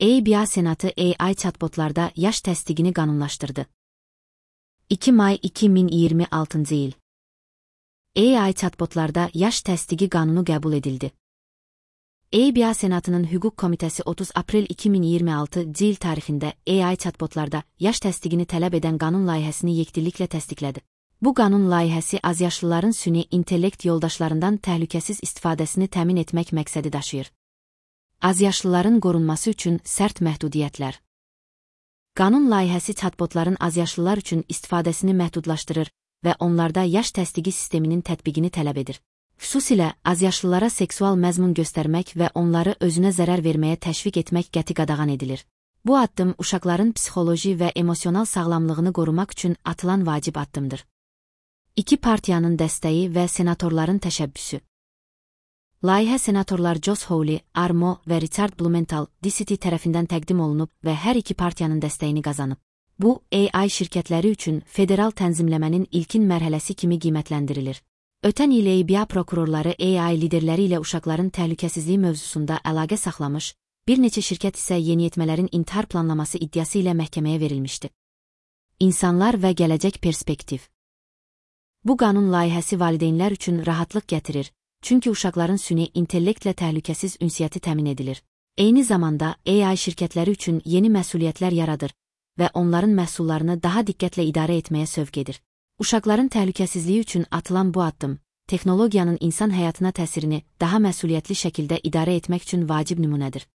EBA Senatı AI chatbotlarda yaş təsdiqini qanunlaşdırdı. 2 may 2026 il. AI chatbotlarda yaş təsdiqi qanunu qəbul edildi. EBA Senatının Hüquq Komitəsi 30 aprel 2026 il tarixində AI chatbotlarda yaş təsdiqini tələb edən qanun layihəsini yekdilliklə təsdiqlədi. Bu qanun layihəsi azyaşlıların süni intellekt yoldaşlarından təhlükəsiz istifadəsini təmin etmək məqsədi daşıyır. Azyaşlıların qorunması üçün sərt məhdudiyyətlər. Qanun layihəsi chatbotların azyaşlılar üçün istifadəsini məhdudlaşdırır və onlarda yaş təsdiqi sisteminin tətbiqini tələb edir. Xüsusilə azyaşlılara seksual məzmun göstərmək və onları özünə zərər verməyə təşviq etmək qəti qadağan edilir. Bu addım uşaqların psixoloji və emosional sağlamlığını qorumaq üçün atılan vacib addımdır. İki partiyanın dəstəyi və senatorların təşəbbüsü. Layihə senatorlar Josh Hawley, Armo və Richard Blumenthal, DCT tərəfindən təqdim olunub və hər iki partiyanın dəstəyini qazanıb. Bu, AI şirkətləri üçün federal tənzimləmənin ilkin mərhələsi kimi qiymətləndirilir. Ötən il EBA prokurorları AI liderləri ilə uşaqların təhlükəsizliyi mövzusunda əlaqə saxlamış, bir neçə şirkət isə yeniyetmələrin intihar planlaması iddiası ilə məhkəməyə verilmişdi. İnsanlar və gələcək perspektiv. Bu qanun layihəsi valideynlər üçün rahatlıq gətirir, çünki uşaqların süni intellektlə təhlükəsiz ünsiyyəti təmin edilir. Eyni zamanda AI şirkətləri üçün yeni məsuliyyətlər yaradır və onların məhsullarını daha diqqətlə idarə etməyə sövq edir. Uşaqların təhlükəsizliyi üçün atılan bu addım, texnologiyanın insan həyatına təsirini daha məsuliyyətli şəkildə idarə etmək üçün vacib nümunədir.